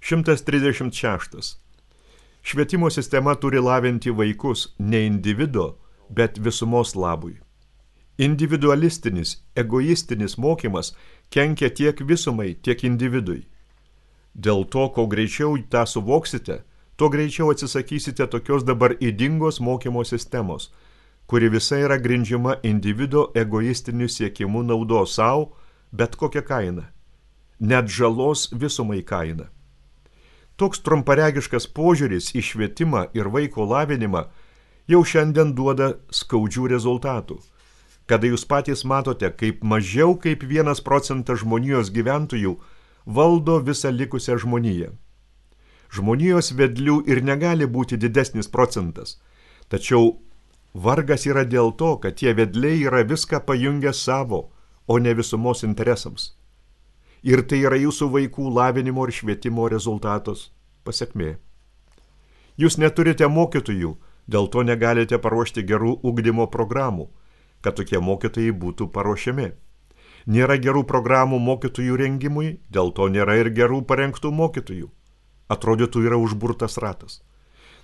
136. Švietimo sistema turi lavinti vaikus ne individo, bet visumos labui. Individualistinis, egoistinis mokymas kenkia tiek visumai, tiek individui. Dėl to, kuo greičiau tą suvoksite, tuo greičiau atsisakysite tokios dabar ydingos mokymo sistemos, kuri visa yra grindžiama individo egoistiniu siekimu naudos savo, bet kokią kainą. Net žalos visumai kaina. Toks trumparegiškas požiūris į švietimą ir vaiko lavinimą jau šiandien duoda skaudžių rezultatų, kada jūs patys matote, kaip mažiau kaip 1% žmonijos gyventojų valdo visą likusią žmoniją. Žmonijos vedlių ir negali būti didesnis procentas, tačiau vargas yra dėl to, kad tie vedliai yra viską pajungę savo, o ne visumos interesams. Ir tai yra jūsų vaikų lavinimo ir švietimo rezultatos pasekmė. Jūs neturite mokytojų, dėl to negalite paruošti gerų ugdymo programų, kad tokie mokytojai būtų paruošiami. Nėra gerų programų mokytojų rengimui, dėl to nėra ir gerų parengtų mokytojų. Atrodytų yra užburtas ratas.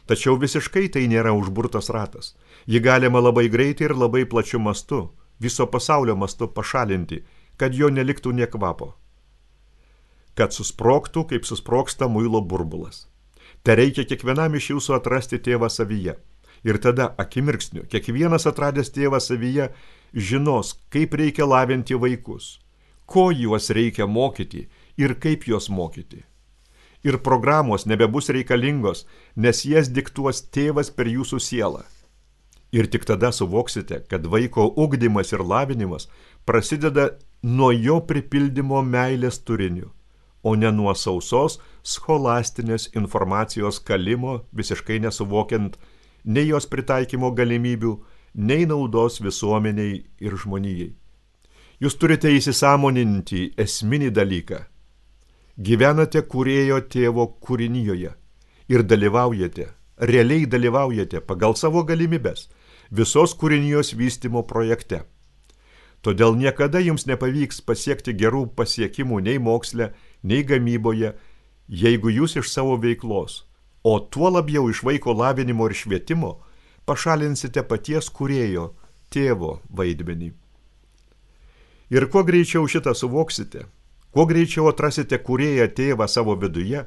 Tačiau visiškai tai nėra užburtas ratas. Jį galima labai greitai ir labai plačiu mastu, viso pasaulio mastu pašalinti, kad jo neliktų nė kvapo. Kad susprogtų, kaip susprogsta muilo burbulas. Te reikia kiekvienam iš jūsų atrasti tėvą savyje. Ir tada akimirksniu, kiekvienas atradęs tėvą savyje žinos, kaip reikia lavinti vaikus, ko juos reikia mokyti ir kaip juos mokyti. Ir programos nebebus reikalingos, nes jas diktuos tėvas per jūsų sielą. Ir tik tada suvoksite, kad vaiko ugdymas ir lavinimas prasideda nuo jo pripildymo meilės turiniu, o ne nuo sausos scholastinės informacijos kalimo, visiškai nesuvokiant nei jos pritaikymo galimybių, nei naudos visuomeniai ir žmonijai. Jūs turite įsisąmoninti esminį dalyką. Gyvenate kūrėjo tėvo kūrinijoje ir dalyvaujate, realiai dalyvaujate pagal savo galimybes visos kūrinijos vystymo projekte. Todėl niekada jums nepavyks pasiekti gerų pasiekimų nei moksle, nei gamyboje, jeigu jūs iš savo veiklos, o tuo labiau iš vaiko lavinimo ir švietimo, pašalinsite paties kūrėjo, tėvo vaidmenį. Ir kuo greičiau šitą suvoksite, kuo greičiau atrasite kūrėją tėvą savo viduje,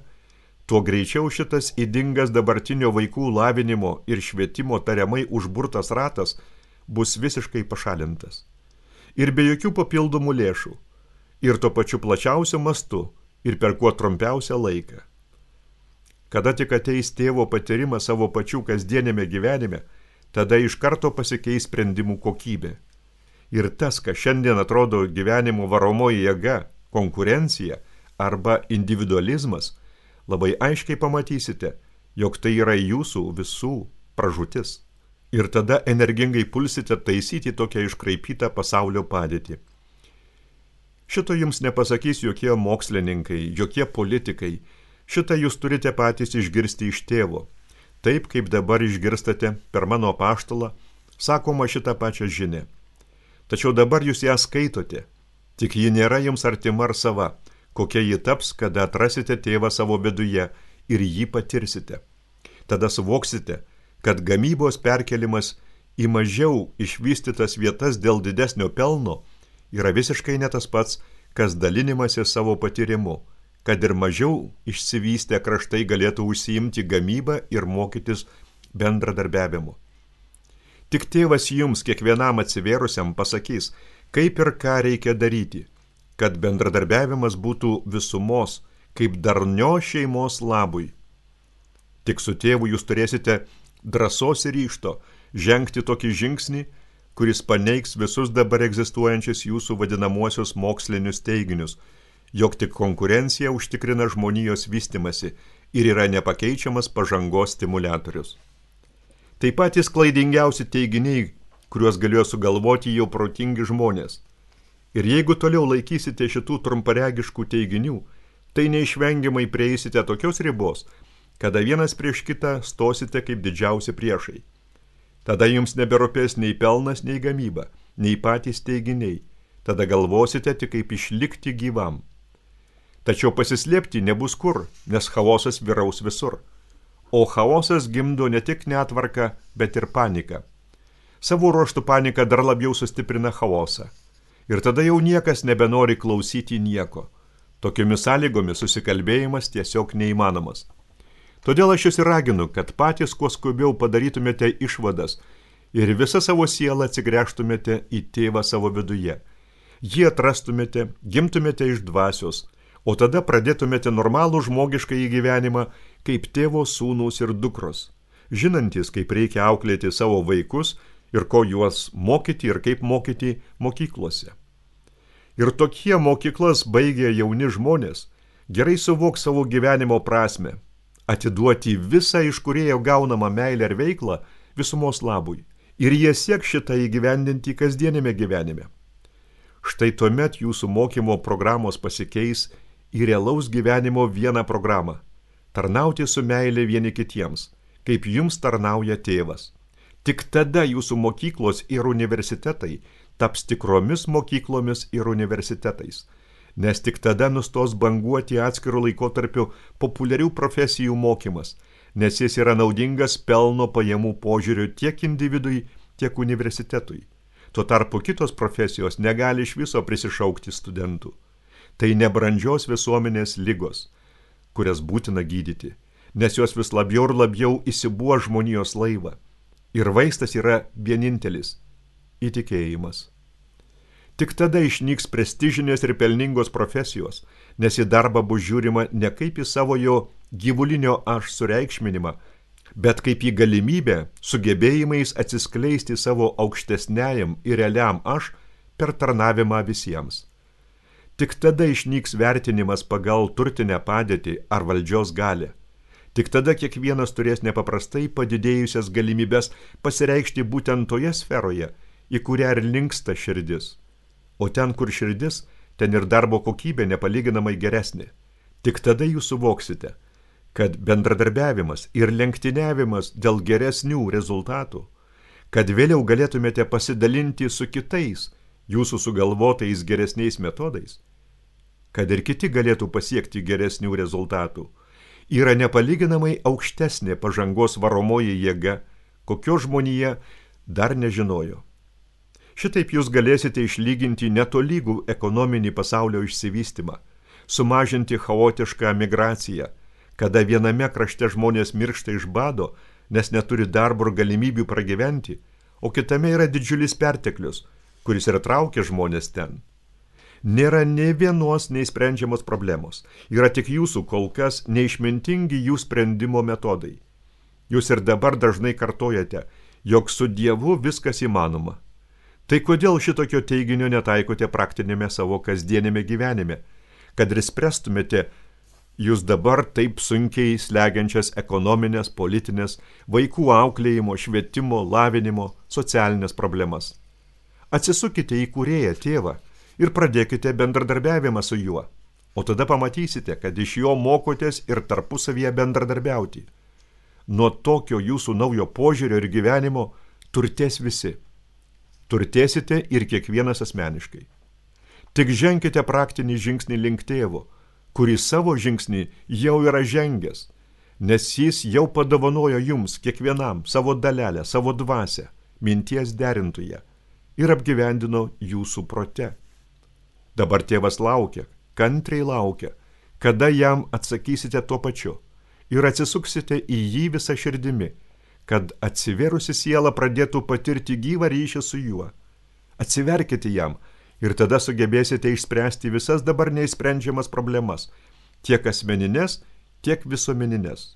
tuo greičiau šitas ydingas dabartinio vaikų lavinimo ir švietimo tariamai užburtas ratas bus visiškai pašalintas. Ir be jokių papildomų lėšų, ir tuo pačiu plačiausiu mastu, ir per kuo trumpiausią laiką. Kada tik ateis tėvo patyrimas savo pačių kasdienėme gyvenime, tada iš karto pasikeis sprendimų kokybė. Ir tas, kas šiandien atrodo gyvenimo varomoji jėga, konkurencija arba individualizmas, labai aiškiai pamatysite, jog tai yra jūsų visų pražūtis. Ir tada energingai pulsite taisyti tokią iškraipytą pasaulio padėtį. Šito jums nepasakys jokie mokslininkai, jokie politikai. Šitą jūs turite patys išgirsti iš tėvo. Taip, kaip dabar išgirstate per mano apaštalą, sakoma šitą pačią žinią. Tačiau dabar jūs ją skaitote, tik ji nėra jums artima ar sava, kokia ji taps, kada atrasite tėvą savo viduje ir jį patirsite. Tada suvoksite, kad gamybos perkelimas į mažiau išvystytas vietas dėl didesnio pelno yra visiškai ne tas pats, kas dalinimasis savo patyrimu, kad ir mažiau išsivystę kraštai galėtų užsiimti gamybą ir mokytis bendradarbiavimu. Tik tėvas jums kiekvienam atsivėrusiam pasakys, kaip ir ką reikia daryti, kad bendradarbiavimas būtų visumos, kaip darnio šeimos labui. Tik su tėvu jūs turėsite drąsos ir ryžto žengti tokį žingsnį, kuris paneigs visus dabar egzistuojančius jūsų vadinamuosius mokslinius teiginius, jog tik konkurencija užtikrina žmonijos vystymasi ir yra nepakeičiamas pažangos stimuliatorius. Tai patys klaidingiausi teiginiai, kuriuos galėjo sugalvoti jau protingi žmonės. Ir jeigu toliau laikysite šitų trumparegiškų teiginių, tai neišvengiamai prieisite tokios ribos, kada vienas prieš kitą stosite kaip didžiausi priešai. Tada jums neberūpės nei pelnas, nei gamyba, nei patys teiginiai. Tada galvosite tik kaip išlikti gyvam. Tačiau pasislėpti nebus kur, nes chaosas vyraus visur. O chaosas gimdo ne tik netvarką, bet ir paniką. Savo ruožtų panika dar labiau sustiprina chaosą. Ir tada jau niekas nebenori klausyti nieko. Tokiomis sąlygomis susikalbėjimas tiesiog neįmanomas. Todėl aš jūs ir raginu, kad patys kuo skubiau padarytumėte išvadas ir visą savo sielą atsigręžtumėte į tėvą savo viduje. Jį atrastumėte, gimtumėte iš dvasios, o tada pradėtumėte normalų žmogišką gyvenimą kaip tėvo sūnūs ir dukros, žinantys, kaip reikia auklėti savo vaikus ir ko juos mokyti ir kaip mokyti mokyklose. Ir tokie mokyklas baigę jauni žmonės gerai suvoks savo gyvenimo prasme, atiduoti visą iš kūrėjo gaunamą meilę ir veiklą visumos labui. Ir jie sieks šitą įgyvendinti kasdienėme gyvenime. Štai tuomet jūsų mokymo programos pasikeis į realaus gyvenimo vieną programą – tarnauti su meilė vieni kitiems, kaip jums tarnauja tėvas. Tik tada jūsų mokyklos ir universitetai taps tikromis mokyklomis ir universitetais, nes tik tada nustos banguoti atskirų laikotarpių populiarių profesijų mokymas, nes jis yra naudingas pelno pajamų požiūriu tiek individui, tiek universitetui. Tuo tarpu kitos profesijos negali iš viso prisišaukti studentų. Tai nebrandžios visuomenės ligos, kurias būtina gydyti, nes jos vis labiau ir labiau įsibuo žmonijos laivą. Ir vaistas yra vienintelis – įtikėjimas. Tik tada išnyks prestižinės ir pelningos profesijos, nes į darbą bus žiūrima ne kaip į savo jo gyvulinio aš sureikšminimą, bet kaip į galimybę sugebėjimais atsiskleisti savo aukštesniajam ir realiam aš per tarnavimą visiems. Tik tada išnyks vertinimas pagal turtinę padėtį ar valdžios galią. Tik tada kiekvienas turės nepaprastai padidėjusias galimybės pasireikšti būtent toje sferoje, į kurią ir linksta širdis. O ten, kur širdis, ten ir darbo kokybė nepalyginamai geresnė. Tik tada jūs suvoksite, kad bendradarbiavimas ir lenktyniavimas dėl geresnių rezultatų, kad vėliau galėtumėte pasidalinti su kitais jūsų sugalvotais geresniais metodais, kad ir kiti galėtų pasiekti geresnių rezultatų, yra nepalyginamai aukštesnė pažangos varomoji jėga, kokio žmonija dar nežinojo. Šitaip jūs galėsite išlyginti netolygų ekonominį pasaulio išsivystymą, sumažinti chaotišką migraciją, kada viename krašte žmonės miršta iš bado, nes neturi darbo ir galimybių pragyventi, o kitame yra didžiulis perteklius, kuris ir traukia žmonės ten. Nėra nei vienos neįsprendžiamos problemos, yra tik jūsų kol kas neišmintingi jų sprendimo metodai. Jūs ir dabar dažnai kartojate, jog su Dievu viskas įmanoma. Tai kodėl šitokio teiginio netaikote praktinėme savo kasdienėme gyvenime, kad ir spręstumėte jūs dabar taip sunkiai slegiančias ekonominės, politinės, vaikų auklėjimo, švietimo, lavinimo, socialinės problemas. Atsisukite į kūrėją tėvą ir pradėkite bendradarbiavimą su juo, o tada pamatysite, kad iš jo mokotės ir tarpusavyje bendradarbiauti. Nuo tokio jūsų naujo požiūrio ir gyvenimo turtės visi. Turtėsite ir kiekvienas asmeniškai. Tik ženkite praktinį žingsnį link tėvo, kuris savo žingsnį jau yra žengęs, nes jis jau padovanojo jums kiekvienam savo dalelę, savo dvasią, minties derintoje ir apgyvendino jūsų prote. Dabar tėvas laukia, kantriai laukia, kada jam atsakysite tuo pačiu ir atsisuksite į jį visą širdimi, kad atsivėrusi siela pradėtų patirti gyvą ryšį su juo. Atsiverkite jam ir tada sugebėsite išspręsti visas dabar neįsprendžiamas problemas, tiek asmeninės, tiek visuomeninės.